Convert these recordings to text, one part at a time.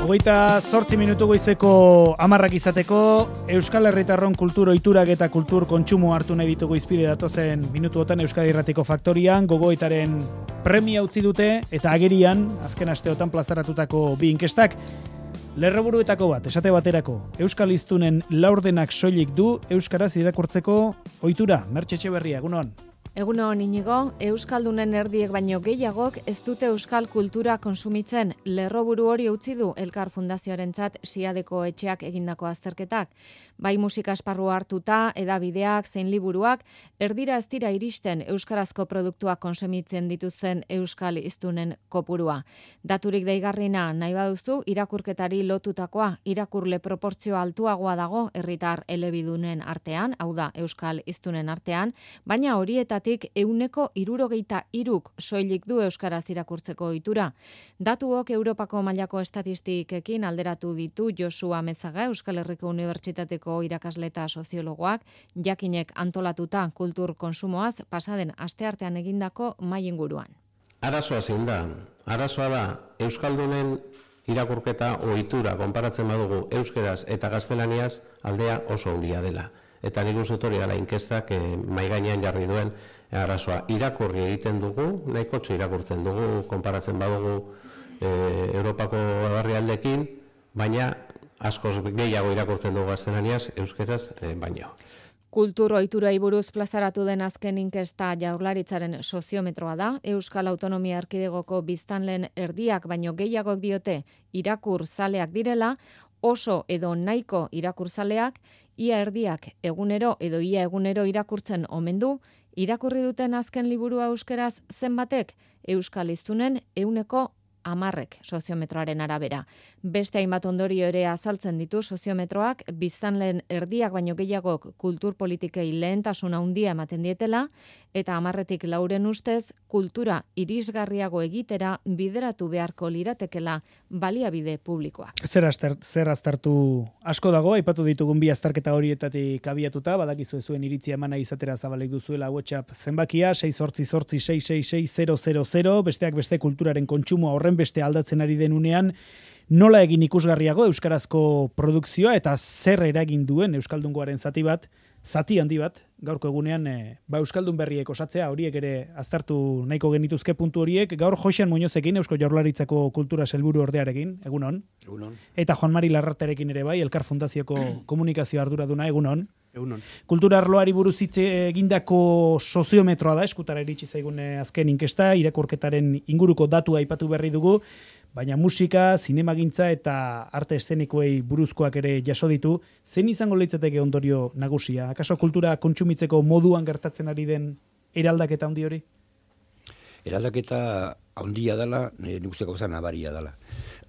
28 minutu goizeko 10 izateko, Euskal Herritarron kultur ohiturak eta kultur kontsumo hartu nahi ditugu izpide datozen minutuotan Euskadi Irratiko Faktorian, gogoetaren premia utzi dute eta agerian, azken asteotan plazaratutako bi inkestak. Lerroburuetako bat, esate baterako, Euskal Hiztunen laurdenak soilik du Euskaraz irakurtzeko ohitura. Mertxe Etxeberria, egunon. Egunon, Inigo, Euskaldunen erdiek baino gehiagok ez dute euskal kultura konsumitzen. Lerroburu hori utzi du Elkar Fundazioarentzat Siadeko etxeak egindako azterketak. Bai musika esparrua hartuta, edabideak, zein liburuak, erdira ez dira iristen euskarazko produktuak konsumitzen dituzten euskal hiztunen kopurua. Daturik deigarrina nahi baduzu, irakurketari lotutakoa, irakurle proportzio altuagoa dago herritar elebidunen artean, hau da euskal hiztunen artean, baina horietatik 63% soilik du euskaraz irakurtzeko ohitura. Datuok Europako mailako estatistikekin alderatu ditu Josu Amezaga, Euskal Herriko Unibertsitateko irakasle eta soziologoak, jakinek antolatuta kultur konsumoaz pasaden asteartean egindako mahai inguruan. Arazoa zein da? Arazoa da euskaldunen irakurketa ohitura konparatzen badugu euskeraz eta gaztelaniaz aldea oso handia dela. Eta nik uste hori dela inkestak mahai gainean jarri duen arazoa. Irakurri egiten dugu, nahikotxo irakurtzen dugu, konparatzen badugu Europako herrialdeekin, baina askoz gehiago irakurtzen dugu gaztelaniaz, euskeraz baino. Kultur ohiturai buruz plazaratu den azken inkesta Jaurlaritzaren soziometroa da. Euskal Autonomia Erkidegoko biztanleen erdiak baino gehiagok diote irakurzaleak direla, oso edo nahiko irakurzaleak, ia erdiak egunero edo ia egunero irakurtzen omen du, irakurri duten azken liburua euskeraz zenbatek, Euskal Hiztunen 10% soziometroaren arabera. Beste hainbat ondorio ere azaltzen ditu soziometroak, biztanleen erdiak baino gehiagok kultur politikei lehentasuna handia ematen dietela, eta 10tik 4 ustez, kultura irisgarriago egitera bideratu beharko liratekela baliabide publikoak. Zer aztertu asko dago, aipatu ditugun bi azterketa horietatik abiatuta, badakizu zuen iritzia emana izatera zabalek duzuela WhatsApp zenbakia, 688666000, besteak beste kulturaren kontsumoa horren beste aldatzen ari denunean, nola egin ikusgarriago euskarazko produkzioa eta zer eragin duen euskaldungoaren zati handi bat, gaurko egunean euskaldun berriek osatzea, horiek ere aztertu nahiko genituzke puntu horiek, gaur Joxean Muñozekin, Eusko Jaurlaritzako kultura sailburu ordearekin, egunon. Egunon. Eta Juan Mari Larraterekin ere bai, Elkar Fundazioko komunikazio arduraduna, egunon. Egunon. Kultura arloari buruz hitz egindako soziometroa da, eskutara iritsi zaigun azken inkesta, irakurketaren inguruko datua aipatu berri dugu, baina musika, zinemagintza eta arte eszenikoei buruzkoak ere jaso ditu. Zein izango litzateke ondorio nagusia? Akaso kultura kontsumitzeko moduan gertatzen ari den eraldaketa handi hori? Eraldaketa handia dela, nik uste gauza nabaria dela.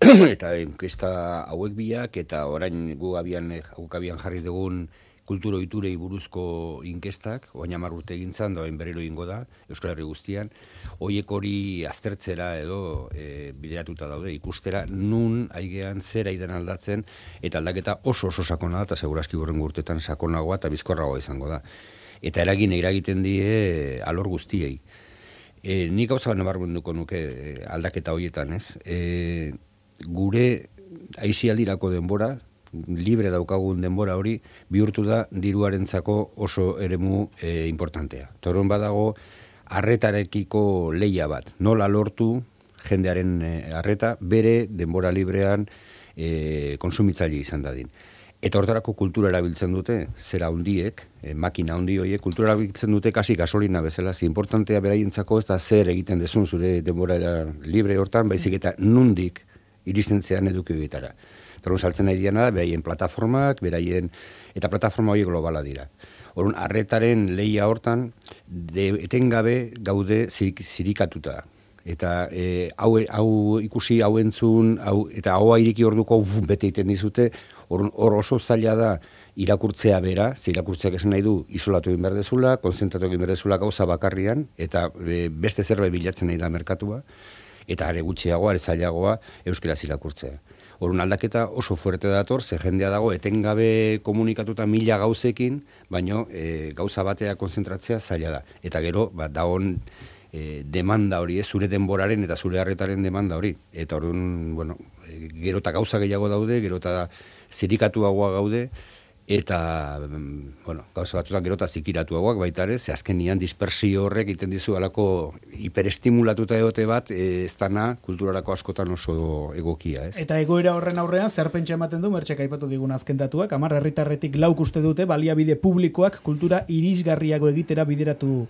Eta inkesta hauek biak, eta orain guk abian jarri dugun kulturo ohiturei buruzko inkestak, oain 10 urte egin zan, da berriro egingo da, Euskal Herri guztian, horiek hori aztertzera edo bideratuta daude, ikustera nun aigean zer aidan aldatzen, eta aldaketa oso sakona da, eta segurazki horren urtetan sakonagoa eta bizkorragoa izango da. Eta eragiten die alor guztiei. Nik gauza nabarmenduko nuke aldaketa horietan, ez? Gure aisialdirako denbora, libre daukagun denbora hori, bihurtu da diruarentzako oso eremu importantea. Torron badago, arretarekiko leia bat. Nola lortu jendearen arreta, bere denbora librean konsumitzaile izan dadin. Eta hortarako kultura erabiltzen dute, zera hundiek, makina hundi horiek, kultura erabiltzen dute kasi gasolina bezala. Importantea beraientzako ez da zer egiten dezun zure denbora libre hortan, baizik eta nundik iristen zean eduki horietara. Torun saltzen nahi diana da, beraien plataformak, eta plataforma horiek globala dira. Orduan, arretaren lehia hortan, etengabe gaude zirikatuta. Eta hau ikusi, hau entzun, eta hau iriki orduko bete egiten dizute, hor oso zaila da irakurtzea bera, irakurtzeak esan nahi du, isolatu egin behar dezula, konzentratu egin behar dezula gauza bakarrian, eta beste zerbait bilatzen nahi da merkatua, eta are gutxiagoa, are zailagoa, euskaraz irakurtzea. Orduan aldaketa oso fuerte dator, ze jendea dago etengabe komunikatuta 1000 gauzekin, baino gauza batea konzentratzea zaila da. Eta gero, dagoen demanda hori, zure denboraren eta zure harretaren demanda hori. Eta orduan, bueno, gero eta gauza gehiago daude, gero eta zirikatuagoa gaude, eta, bueno, gauza batzutan gero eta zikiratuagoak baita ere, ze azkenian dispersio horrek iten dizu alako hiperestimulatuta egote bat, ez dana kulturarako askotan oso egokia, ez? Eta egoera horren aurrean, zer pentsa ematen du, Mertxek aipatu digun azken datuak, 10 herritarretik 4 uste dute, baliabide publikoak kultura irisgarriago egitera bideratu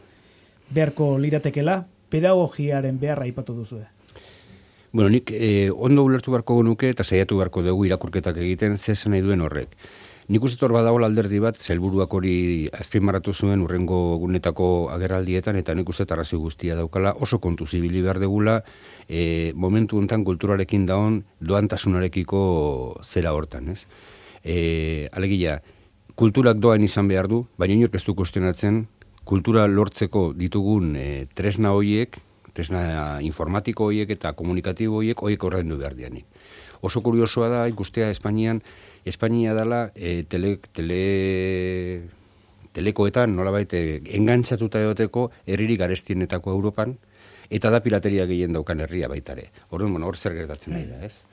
beharko liratekela, pedagogiaren beharra aipatu duzu. Bueno, nik ondo ulertu beharko genuke eta saiatu beharko dugu irakurketak egiten zezen nahi duen horrek. Nik uste hor badago alderdi bat, sailburuak hori azpimarratu zuen urrengo gunetako agerraldietan, eta nik uste arrazoi guztia daukala, oso kontu zibili behar degula, momentu honetan kulturarekin daon doantasunarekiko zera hortan, ez? Alegia, kulturak doan izan behar du, baina inork ez du kuestionatzen, kultura lortzeko ditugun tresna horiek, tresna informatiko horiek eta komunikatibo horiek ordaindu behar dianik. Oso kuriosoa da, ikustea Espainia dela telekoetan nolabait engantzatuta egoteko herririk garestienetako Europan, eta da pirateria gehien daukan herria baitare. Orduan, hor zer gertatzen nahi da, ez?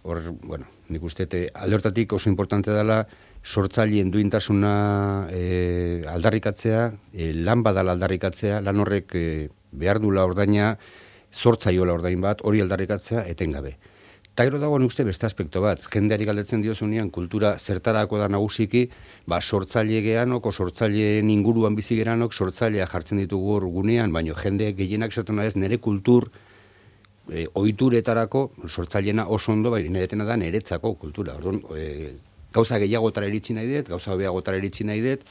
Hor, bueno, nik uste alde hortatik oso importante dela sortzaileen duintasuna aldarrikatzea, lan badala aldarrikatzea, lan horrek behar dula ordaina, sortzaiola ordain bat, hori aldarrikatzea etengabe. Eta gero dago uste beste aspekto bat, jendeari galdetzen diozunean kultura zertarako da nagusiki, sortzaile geanok, sortzaileen inguruan bizi geranok, sortzailea jartzen ditugu hor gunean, baina jende gehienak esaten ez nire kultur ohituretarako sortzaileena oso ondo, baina netena da niretzako kultura. Orduan, gauza gehiagotara iritsi nahi dut, gauza hobeagotara iritsi nahi dut,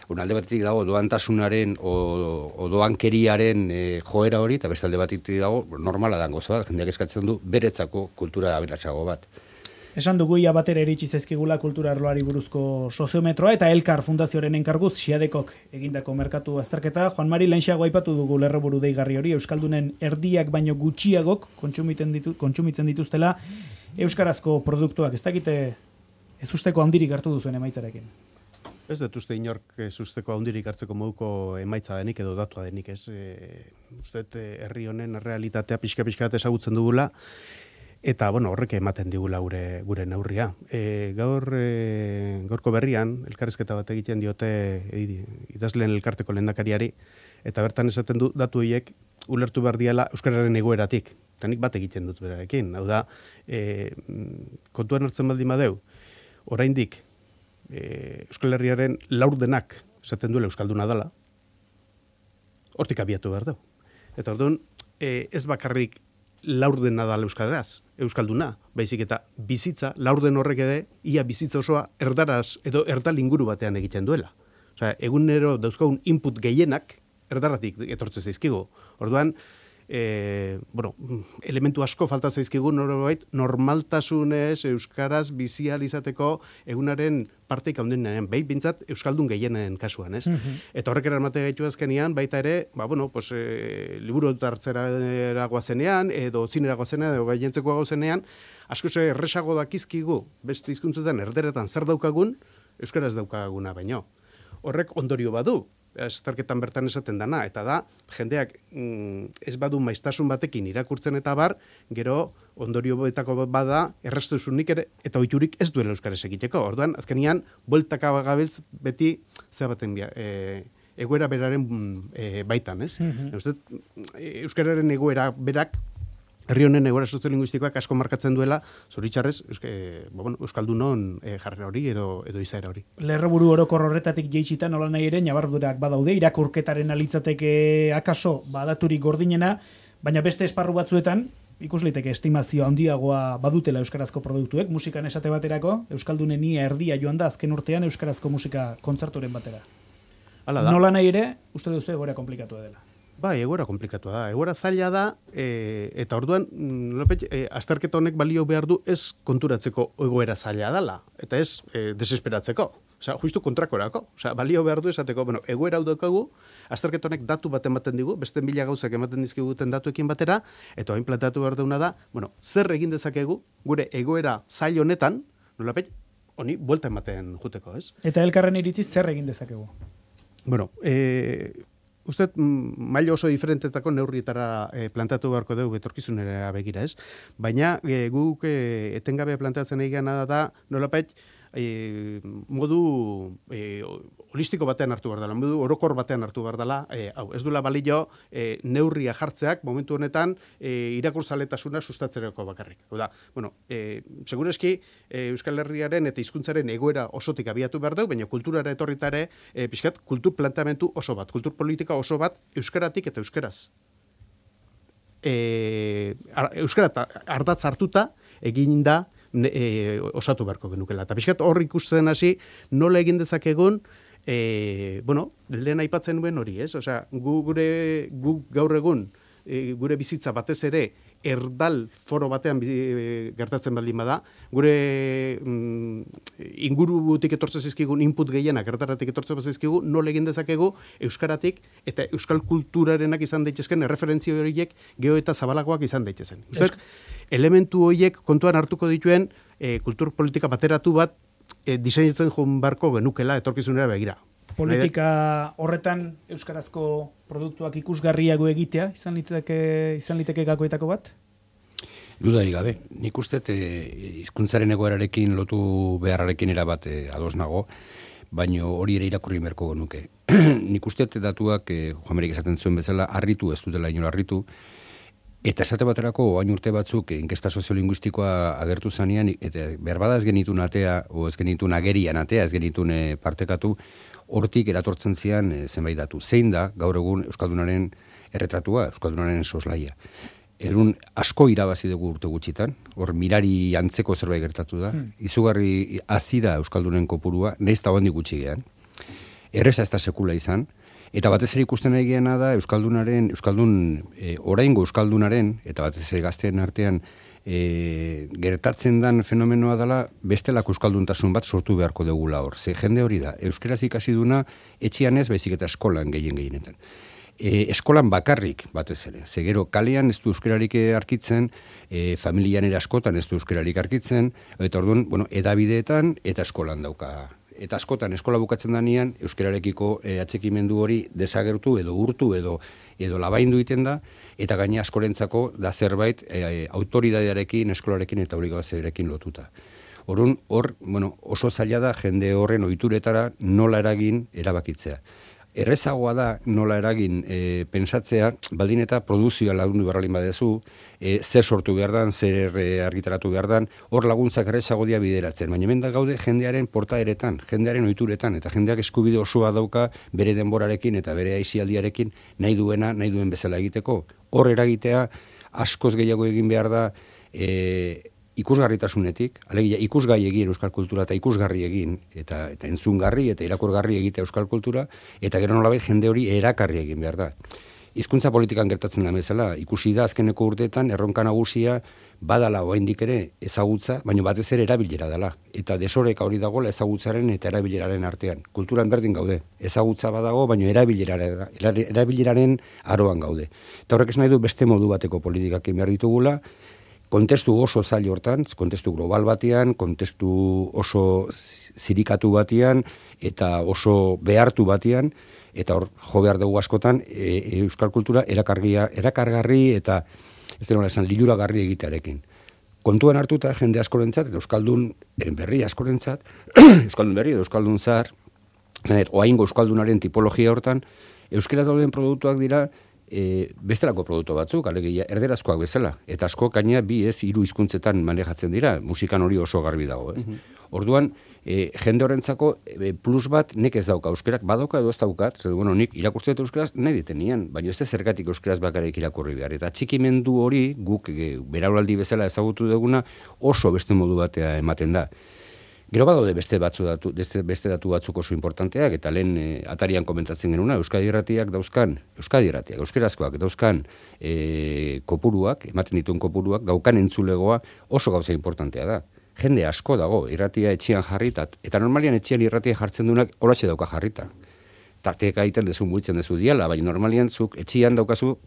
alde batetik dago doantasunaren o doankeriaren joera hori, eta beste alde batetik dago normala dan goza bat, jendeak eskatzen du beretzako kultura aberatsago bat. Esan dugu ia batera iritsi zaizkigula kultura arloari buruzko soziometroa eta Elkar Fundazioaren enkarguz Xiadekok egindako merkatu azterketa. Juan Mari, lehenxeago aipatu dugu lerroburu deigarri hori, euskaldunen erdiak baino gutxiagok kontsumitzen dituztela euskarazko produktuak. Ez dakite ez usteko handirik hartu duzuen emaitzarekin. Ez dut uste inork ez usteko handirik hartzeko moduko emaitza denik edo datua denik, ez? Uste herri honen realitatea pixka-pixka ezagutzen dugula, eta bueno, horrek ematen digula gure neurria. Gaurko berrian, elkarrizketa bat egiten diote idazleen elkarteko lehendakariari, eta bertan esaten du datu horiek ulertu behar diala euskararen egoeratik. Eta nik bat egiten dut berarekin. Hau da, kontuan hartzen baldin badeu, oraindik Euskal Herriaren laurdenak esaten duela euskalduna dela, hortik abiatu behar dugu. Eta orduan, ez bakarrik laurdena dala euskalduna, baizik eta bizitza, laurden horrek ere, ia bizitza osoa erdaraz edo erdal inguru batean egiten duela. Osea, egunero dauzkagun input gehienak erdaratik etortzen zaizkigu. Orduan, elementu asko falta zaizkigu normaltasunez euskaraz bizializateko egunaren parteik handienaren, bintzat euskaldun gehienen kasuan, ez? Eta horrek eramate gaitu azkenean, baita ere, liburu hartzera goazenean, edo zinera goazenean, edo gaientzeko goazenean, asko erresago dakizkigu, beste hizkuntzetan erderetan zer daukagun, euskaraz daukaguna baino. Horrek ondorio badu, azterketan bertan esaten dana, eta da, jendeak ez badu maiztasun batekin irakurtzen eta bar, gero ondorio betako bada, erreztuzunik ere, eta ohiturik ez duela euskaraz egiteko. Orduan, azkenean, bueltaka bagabiltz beti, baten egoera beraren baitan, ez? Euskararen egoera berak, herri honen egoera soziolinguistikoak asko markatzen duela, zoritxarrez, euskaldunon jarrera hori edo izaera hori. Lerroburu orokor horretatik jeitsita nola nahi ere, nabardurak badaude, irakurketaren alitzateke akaso badaturik gordinena, baina beste esparru batzuetan, ikus liteke estimazio handiagoa badutela euskarazko produktuek, musikan esate baterako, euskaldunen ia erdia joan da azken urtean euskarazko musika kontzerturen batera. Nola nahi ere, uste duzu egoera komplikatua dela. Bai, egoera komplikatua da. Egoera zaila da, eta orduan, azterketa honek balio behar du ez konturatzeko egoera zaila dela, eta ez desesperatzeko. Osea, justu kontrakorako. Osea, balio behar du esateko, egoera hau daukagu, azterketa honek datu bat ematen digu, beste 1000 gauzak ematen dizkiguten datuekin batera, eta hain planteatu behar duguna da, zer egin dezakegu gure egoera zail honetan, nolapet, honi buelta ematen juteko, ez? Eta elkarren iritziz zer egin dezakegu? Uste, maila oso diferentetako neurrietara plantatu beharko dugu etorkizunera begira, ez? Baina guk etengabe planteatzen egana da, nolapait, modu holistiko batean hartu behar dela, modu orokor batean hartu behar dela, ez duela balio neurria jartzeak momentu honetan irakurzaletasuna sustatzerako bakarrik. Hau da, bueno, segureski Euskal Herriaren eta hizkuntzaren egoera osotik abiatu behar dugu, baina kulturara etorritare pixkat kultur planteamentu oso bat, kultur politika oso bat euskaratik eta euskaraz. Euskara ardatz hartuta egin da osatu beharko genukela. Eta pixkat hor ikusten hasi nola egin dezakegun, lehen aipatzen nuen hori, ez? Osea, guk gaur egun, gure bizitza batez ere, erdal foro batean gertatzen baldin bada, gure ingurutik etortzen zizkigun input gehienak erdataratik etortzen zizkigu, nola egin dezakegu euskaratik eta euskal kulturarenak izan daitezken erreferentzio horiek gero eta zabalagoak izan daitezen. Elementu horiek kontuan hartuko dituen kultur politika bateratu bat diseinatzen joan barko genukela etorkizunera begira. Politika horretan euskarazko produktuak ikusgarriago egitea izan liteke gakoetako bat? Dudarik gabe. Nik uste hizkuntzaren egoerarekin lotu beharrarekin erabat ados nago, baino hori ere irakurri beharko genuke. Nik uste datuak Juanmerik esaten zuen bezala harritu ez dutela inola harritu, eta esate baterako oain urte batzuk inkesta soziolinguistikoa agertu zanean, eta berbada ez genitun atea, o ez genitun agerian atea, ez genitun partekatu, hortik eratortzen zian zenbait datu. Zein da gaur egun euskaldunaren erretratua, euskaldunaren soslaia. Erun asko irabazi dugu urte gutxitan, hor mirari antzeko zerbait gertatu da, izugarri hazi da euskaldunen kopurua, nahiz eta handik gutxi gean. Erreza ez da sekula izan, eta batez ere ikusten egiena da oraingo euskaldunaren, eta batez ere gazteen artean gertatzen dan fenomenoa dela bestelako euskalduntasun bat sortu beharko dugula hor. Ze jende hori da, euskaraz ikasi duna etxian ez, baizik eta eskolan gehienetan. Eskolan bakarrik batez ere. Ze gero kalean ez du euskararik arkitzen, familian ere askotan ez du euskararik arkitzen, eta orduan, edabideetan eta eskolan dauka. Eta askotan eskola bukatzen danean euskararekiko atxekimendu hori desagertu edo urtu edo labaindu egiten da, eta gaina askorentzako da zerbait autoridadearekin, eskolarekin eta obligazioarekin lotuta. Orduan, oso zaila da jende horren ohituretara nola eragin erabakitzea. Errezagoa da nola eragin pensatzea, baldin eta produzioa lagundu beharralin badezu, zer sortu behar dan, zer argitaratu behar dan, hor laguntzak errezago dia bideratzen. Baina hemen da gaude jendearen portaeretan, jendearen ohituretan, eta jendeak eskubide osoa dauka bere denborarekin eta bere aisialdiarekin nahi duen bezala egiteko. Hor eragitea askoz gehiago egin behar da ikusgarritasunetik, alegia ikusgai egin euskal kultura eta ikusgarri egin, eta entzungarri eta irakurgarri egitea euskal kultura, eta gero nolabait jende hori erakarri egin behar da. Hizkuntza politikan gertatzen da bezala, ikusi da azkeneko urteetan erronka nagusia badala oraindik ere ezagutza, baina batez ere erabilera dela, eta desoreka hori dagoela ezagutzaren eta erabileraren artean. Kulturan berdin gaude, ezagutza badago, baina erabileraren aroan gaude. Eta horrek ez nahi du beste modu bateko politikak behar ditugula, kontestu oso zail hortan, kontestu global batean, kontestu oso zirikatu batean, eta oso behartu batean, eta hor jo behar dugu askotan euskal kultura erakargarri eta ez denola esan liluragarri egitearekin. Kontuan hartuta jende askorentzat, eta euskaldun berri askorentzat, euskaldun berri edo euskaldun zahar, oaingo euskaldunaren tipologia hortan, euskeraz dauden produktuak dira bestelako produktu batzuk, alegia erderazkoak bezala, eta asko gaina 2-3 hizkuntzetan manejatzen dira, musikan hori oso garbi dago, ez? Orduan, jende horrentzako plus bat nek ez dauka euskerak, badauka edo ez daukat, nik irakurtzen dut euskeraz nahi ditenian, baina ez da zergatik euskeraz bakarrik irakurri behar, eta txikimendu hori guk berauraldi bezala ezagutu duguna oso beste modu batea ematen da. Gero badaude beste datu batzuk oso importanteak, eta lehen atarian komentatzen genuna, Euskadi Irratiak dauzkan, euskerazkoak dauzkan kopuruak, ematen dituen kopuruak, gaukan entzulegoa oso gauza importantea da. Jende asko dago, irratia etxean jarritat, eta normalian etxean irratia jartzen duenak holaxe dauka jarrita. Tarteak egiten dezu, muitzen dezu diala, baina normalian zuk etxean daukazu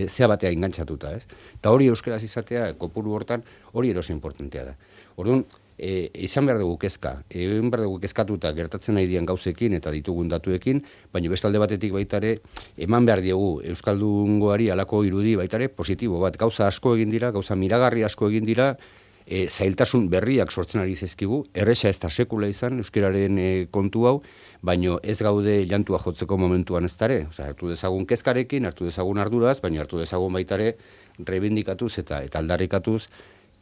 zea batea engantzatuta, ez? Eta hori euskeraz izatea, kopuru hortan, hori eroso importantea da. Orduan, izan behar dugu kezka. Egin behar dugu kezkatuta gertatzen nahi dian gauzekin eta ditugun datuekin, baina bestalde batetik baitare, eman behar diegu Euskaldungoari alako irudi baitare positibo bat. Gauza asko egin dira, gauza miragarri asko egin dira, zailtasun berriak sortzen ari zaizkigu, erresa ez da sekula izan, euskararen kontu hau, baino ez gaude llantua jotzeko momentuan ez dare. Hartu dezagun kezkarekin, hartu dezagun arduraz, baina hartu dezagun baitare reibindikatuz eta aldarrikatuz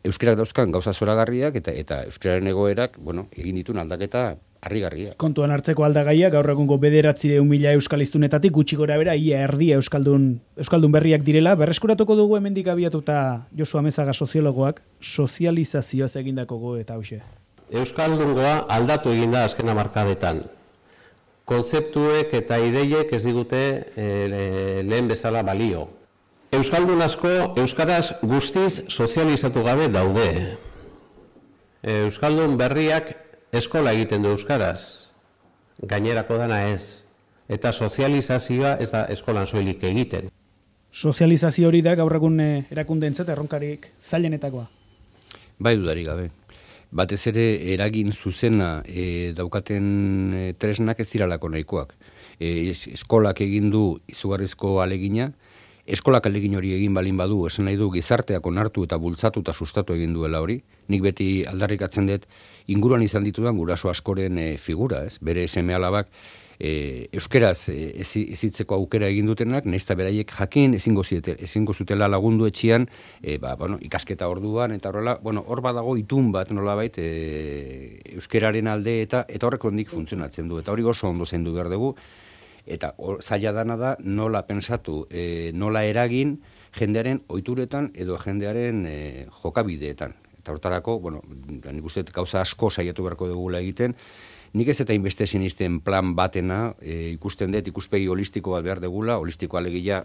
euskarak dauzkan gauza zoragarriak eta euskararen egoerak, egin ditun aldaketa harrigarria. Kontuan hartzeko aldagaia, gaur egungo 900.000 euskaliztunetatik gutxi gora bera, ia erdia euskaldun berriak direla, berreskuratuko dugu hemendik abiatuta Josu Amezaga soziologoak, sozializazioaz egindako eta hauxe. Euskaldungoa aldatu egin da azken hamarkadetan. Kontzeptuek eta ideiek ez digute lehen bezala balio. Euskaldun asko euskaraz guztiz sozializatu gabe daude. Euskaldun berriak eskola egiten du euskaraz, gainerako dana ez. Eta sozializazioa ez da eskolan soilik egiten. Sozializazio hori da gaur egun erakundeentzat erronkarik zailenetakoa. Bai dudarik gabe. Batez ere eragin zuzena daukaten tresnak ez diralako nahikoak. Eskolak egin du izugarrizko alegina, eskolak alegin hori egin balin badu, esan nahi du gizarteak onartu eta bultzatu eta sustatu egin duela hori. Nik beti aldarrikatzen dut inguruan izan ditudan guraso askoren figura, ez? Bere seme-alabak euskeraz ezitzeko aukera egin dutenak, nahiz eta beraiek jakin ezingo zutela lagundu etxian, ikasketa orduan, eta horrela, hor badago itun bat nolabait euskeraren alde eta horrek ondik funtzionatzen du, eta hori oso ondo zaindu behar dugu, eta zaila dana da nola pensatu, nola eragin jendearen ohituretan edo jendearen jokabideetan. Eta hortarako, nik uste gauza asko saiatu beharko dugula egiten, nik ez eta inbeste sinisten plan batena, ikusten dut ikuspegi holistiko bat behar degula, holistiko alegia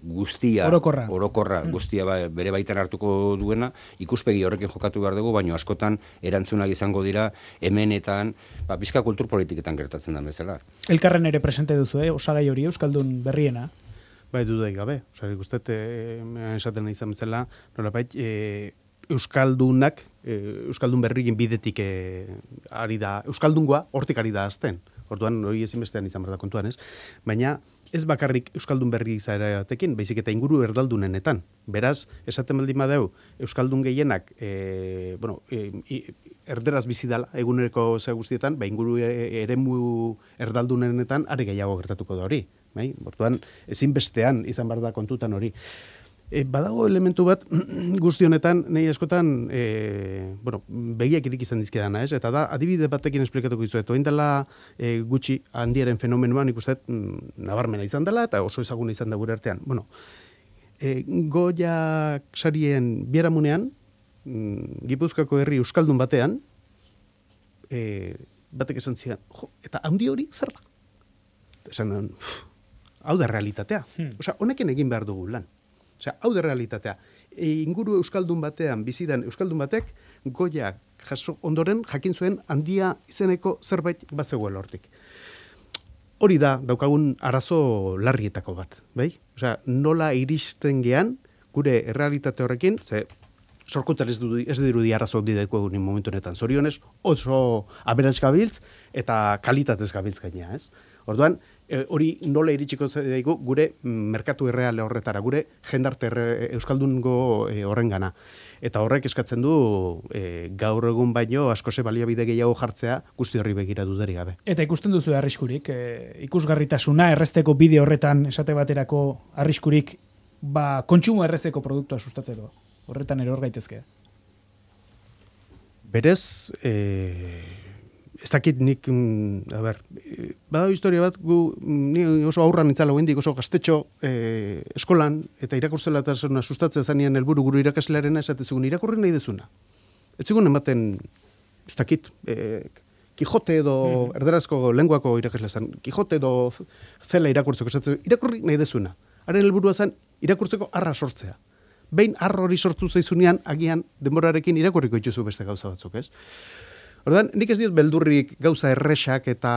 guztia, orokorra guztia bere baitan hartuko duena, ikuspegi horrekin jokatu behar dugu, baina askotan erantzunak izango dira hemenetan, pizka kultur politiketan gertatzen da bezala. Elkarren ere presente duzu, osagai hori euskaldun berriena? Bai, dudaik gabe. Ikustet, esaten izan bezala, nolabait, euskaldunak, euskaldun berrien bidetik ari da, euskaldungoa hortik ari da azten. Orduan, hori ezinbestean izan behar da kontuan, ez? Baina ez bakarrik euskaldun berri izaeratekin, baizik eta inguru erdaldunenetan. Beraz, esaten baldin badeu, euskaldun gehienak, erderaz bizi dala, eguneroko ze guztietan, inguru eremu erdaldunenetan are gehiago gertatuko da hori. Orduan, ezinbestean izan behar da kontutan hori. Badago elementu bat guzti honetan, nahi askotan, begiak irik izan dizkidana, ez? Eta da, adibide batekin esplikatuko dizuet. Oin dela gutxi handiaren fenomenoan ikustet nabarmena izan dela, eta oso ezaguna izan da gure artean. Goiak sarien biaramunean, Gipuzkoako herri euskaldun batean, batek esan zidan, eta handi hori zer da? Esan, hau da realitatea. Honekin egin behar dugu lan. Hau da realitatea. Inguru euskaldun batean, bizidan euskaldun batek, goiak jaso ondoren jakin zuen handia izeneko zerbait bazegoela hortik. Hori da, daukagun arazo larrietako bat, bai? Nola iristen gean, gure errealitate horrekin, sorkutar ez dirudi arazo dideko egunin momentu honetan. Zorionez, oso aberats gabiltz eta kalitatez gabiltz gainea, ez? Orduan, hori nola iritsiko zaigu gure merkatu erreale horretara, gure jendarte euskaldungo horrengana. Eta horrek eskatzen du gaur egun baino askose baliabide gehiago jartzea guzti horri begira dudarik gabe. Eta ikusten duzu arriskurik, ikusgarritasuna errezteko bide horretan esate baterako arriskurik kontsumo errezeko produktua sustatzeko. Horretan ere hor gaitezke. Berez, ez dakit nik, bada historia bat, ni oso aurran itzala goendik, oso gaztetxo eskolan, eta irakurtzela eta sustatzea zanean helburu guru irakaslearena, esatezugun irakurri nahi dezuna. Ez zigun ematen, ez dakit, Kijote edo erderazko lenguako irakasle zan, Kijote edo zela irakurtzeko, irakurri nahi dezuna. Haren helburua zen irakurtzeko arra sortzea. Behin arro hori sortu zaizunean, agian denborarekin irakurriko dituzu beste gauza batzuk, ez? Orduan, nik ez diot beldurrik gauza erresak eta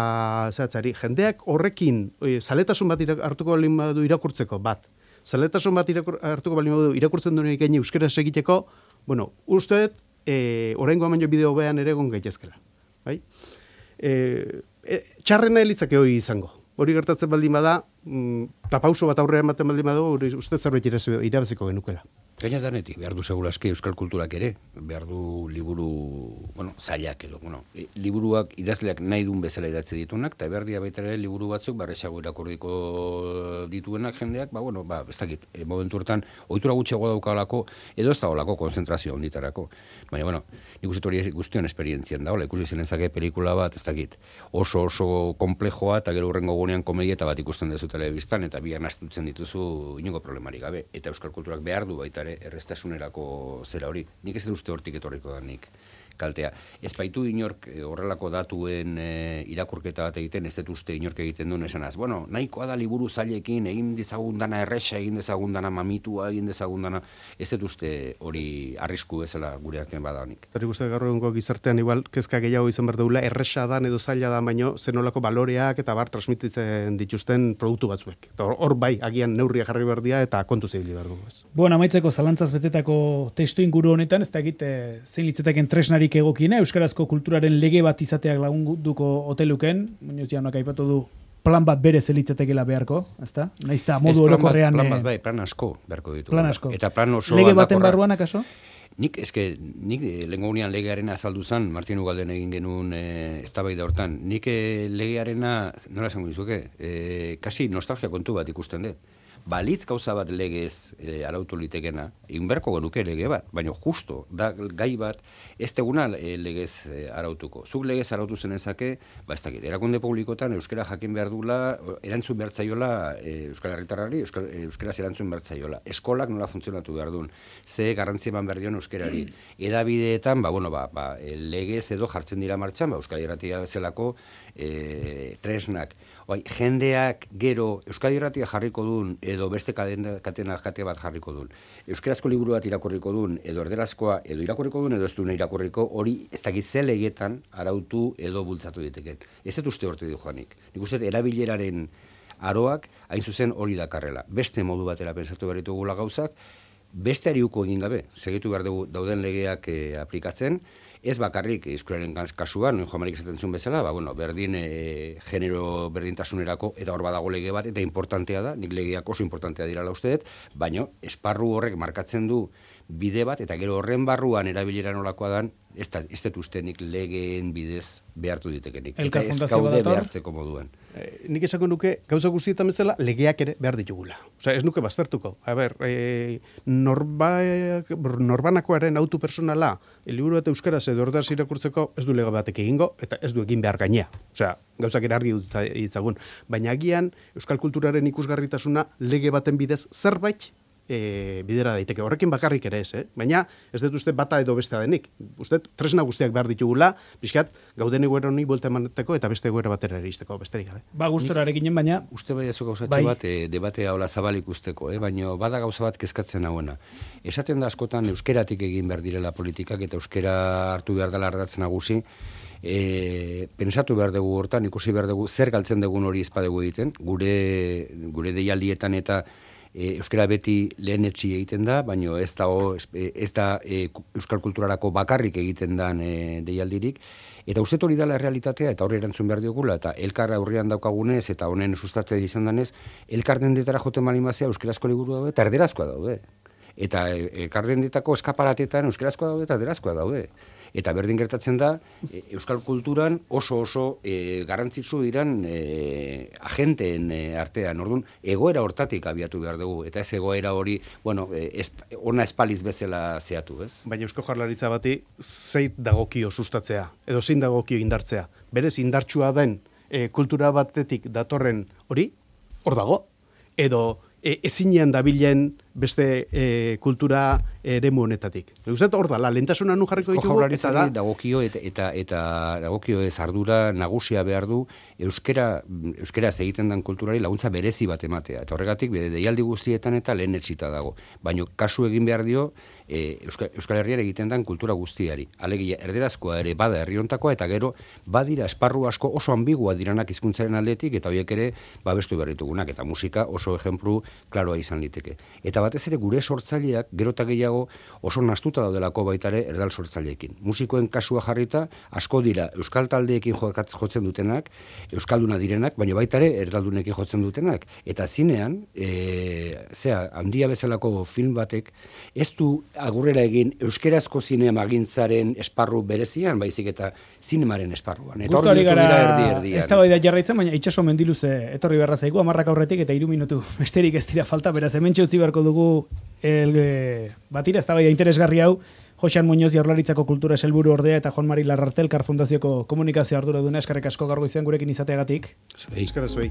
zehatzari. Jendeak horrekin zaletasun bat hartuko balin badu irakurtzeko bat. Zaletasun bat hartuko balin badu irakurtzen duen gaine euskera egiteko, usteet oraingoa baino bideo bean ere egon gaitezkela. Bai? Txarrena elitzake hori izango. Hori gertatzen baldin bada, eta pauso bat aurrera ematen baldin badu, hori uste zerbait irabaziko genukela. Gaina danetik, behar du seguraski euskal kulturak ere, behar du liburu, zailak edo, liburuak idazleak nahi duen bezala idatzi dituenak, eta behar dia baita ere liburu batzuk, barrexago irakurriko dituenak jendeak, ez dakit, momentu hortan, ohitura gutxiago daukalako, edo ez da olako konzentrazio onditarako. Baina, nik uste hori guztion esperientzian da, ikusi zenezake pelikula bat, ez dakit, oso komplejoa, eta gero hurrengo gunean komedieta bat ikusten dezu telebistan, eta bian astutzen dituzu inongo problemarik gabe, eta euskal kulturak behar du baita errestasunerako zera hori. Nik ez dut uste hortik etorriko da nik kaltea. Ez baitu inork horrelako datuen irakurketa bat egiten, ez dut uste inork egiten duen esanaz. Nahikoa da liburu zailekin, egin dezagun dana erresa, egin dezagun dana mamitua, egin dezagun dana, ez dut uste hori arrisku bezala gure artean badanik. Eta uste gaur egungo gizartean igual kezka gehiago izan behar daula, erresa dan edo zaila da, baino zenolako baloreak eta transmititzen dituzten produktu batzuek. Eta hor bai, agian neurria jarri behar dira eta kontu zibili behar dugu. Bueno, amaitzeko zalantzaz betetako testu inguru honetan, ez da egite zein litzetaken tresnari egokina, euskarazko kulturaren lege bat izateak lagunduko oteluken, Muñoz jaunak aipatu du plan bat bere zelitzatekela beharko, ezta? Naizta modu orokorrean plan asko beharko ditu. Plan asko. Eta plan oso lege baten barruan akaso? Nik lehengo gunean legearena azaldu zen, Martin Ugalden egin genuen eztabaida hortan. Nik legearena, nola esango dizuke, kasi nostalgia kontu bat ikusten dut. Balitz gauza bat legez arautu litekena, inberko genuke lege bat, baina justo, da gai bat, ez teguna legez arautuko. Zuk legez arautu zenezake, ez dakit, erakunde publikotan euskera jakin behar dula, erantzun behar zaiola euskal herritarrari, euskaraz erantzun behar zaiola. Eskolak nola funtzionatu behar duen, ze garrantzi eman behar dion euskerari. Edabideetan, legez edo jartzen dira martxan, Euskadi Irratia zelako tresnak. Jendeak gero Euskadi Irratia jarriko duen edo beste katena jate bat jarriko duen. Euskarazko liburu bat irakurriko duen edo erderazkoa edo irakurriko duen edo ez duen irakurriko, hori ez dakit ze legetan arautu edo bultzatu diteken. Ez dut uste horte du joanik. Nik uste erabileraren aroak hain zuzen hori dakarrela. Beste modu batera pensatu behar ditugula gauzak, beste ariuko egin gabe, segitu behar dugu dauden legeak aplikatzen, ez bakarrik euskararen kasuan, Joan Marik esaten zuen bezala, berdin genero berdintasunerako eta hor badago lege bat, eta importantea da, nik legeak oso importantea dirala uste dut, baina esparru horrek markatzen du bide bat, eta gero horren barruan erabilera nolakoa dan, ez dut uste nik legeen bidez behartu ditekenik. Eta ez gaude behartzeko moduan. Nik esako nuke, gauza guztietan bezala, legeak ere behar ditugula. Ez nuke baztertuko. Norbanakoaren autu personala, liburu bat euskaraz edo ordaz irakurtzeko ez du lege batek egingo, eta ez du egin behar gainea. Gauzak ere argi ditzagun. Baina agian, euskal kulturaren ikusgarritasuna lege baten bidez zerbait bidera daiteke. Horrekin bakarrik ere ez, baina ez dut uste bata edo bestea denik. Uste tresna guztiak behar ditugula, pixkat, gauden egoera honi buelta emaneteko eta beste egoera batera eristeko, besterik gabe. Gustorarekinen, baina... Uste bai ezu gauzatxo bat, debatea hola zabalik usteko, baina bada gauza bat kezkatzen hauena. Esaten da askotan euskeratik egin behar direla politikak eta euskera hartu behar dela ardatz nagusi, pensatu behar dugu hortan, ikusi behar dugu zer galtzen dugun hori ezpadegu egiten, gure deialdietan eta euskara beti lehenetsi egiten da, baina ez da euskal kulturarako bakarrik egiten dan deialdirik, eta uste hori dela realitatea, eta horri erantzun behar diogula, eta elkar aurrean daukagunez, eta honen sustatzen izan danez, elkar dendetara joten malimazia euskarazko liburu daude, eta erderazkoa daude. Eta elkar dendetako eskaparatetan euskarazkoa daude, eta erderazkoa daude. Eta berdin gertatzen da, euskal kulturan oso garrantzitsu diran agenteen artean. Orduan, egoera hortatik abiatu behar dugu, eta ez egoera hori, ona espaliz bezala zehatu, ez? Baina Eusko Jaurlaritza bati zeit dagokio sustatzea, edo zein dagokio indartzea. Berez indartsua den kultura batetik datorren hori, hor dago, edo ezinean dabilen beste kultura eremu honetatik. Uzet hor da, lehentasuna nun jarriko ditugu, eta da... Dagokio eta dagokio ez ardura nagusia behar du euskeraz egiten den kulturari laguntza berezi bat ematea. Eta horregatik, deialdi guztietan eta lehen etxita dago. Baina kasu egin behar dio Euskal Herrian egiten den kultura guztiari. Alegia, erderazkoa ere bada herriontakoa, eta gero badira esparru asko oso ambigua diranak hizkuntzaren aldetik, eta horiek ere babestu behar ditugunak, eta musika oso ejemplu klaroa izan liteke. Eta batez ere gure sortzaileak gero eta gehiago oso nastuta daudelako baita ere erdal sortzaileekin. Musikoen kasua jarrita asko dira euskal taldeekin jotzen dutenak, euskalduna direnak, baina baita ere erdaldunekin jotzen dutenak. Eta zinean, handia bezalako film batek ez du agurrera egin euskerazko zinemaggintzaren esparru berezian, baizik eta zinemaren esparruan. Eta hor dira erdi-erdian. Ez da bai da jarraitzen, baina itxaso mendiluze etorri berra zaigu, 10 aurretik eta 3 minutu besterik ez dira falta, beraz hementxe utzi beharko dugu batira, ez da bai interesgarri hau, Joxan Muñoz Jaurlaritzako kultura sailburu ordea eta Juan Mari Larrarte Elkar Fundazioko komunikazio arduraduna, eskerrik asko gaur goizean gurekin izateagatik. Eskerrik asko.